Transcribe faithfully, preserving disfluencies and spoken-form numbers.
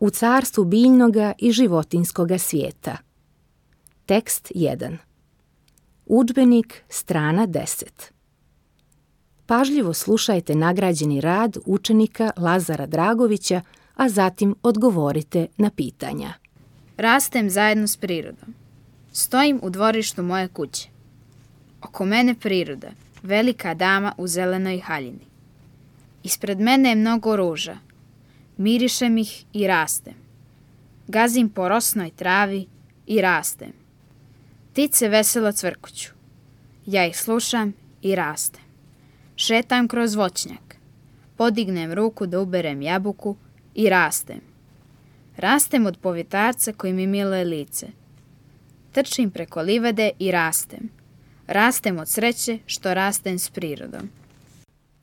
u carstvu biljnoga i životinskoga svijeta. Tekst jedan. Udžbenik, strana deset. Pažljivo slušajte nagrađeni rad učenika Lazara Dragovića, a zatim odgovorite na pitanja. Rastem zajedno s prirodom. Stojim u dvorištu moje kuće. Oko mene priroda, velika dama u zelenoj haljini. Ispred mene je mnogo ruža. Mirišem ih i rastem. Gazim po rosnoj travi i rastem. Ptice veselo cvrkuću. Ja ih slušam i rastem. Šetam kroz voćnjak. Podignem ruku da uberem jabuku i rastem. Rastem od povjetarca koji mi miluje lice. Trčim preko livade i rastem. Rastem od sreće što rastem s prirodom.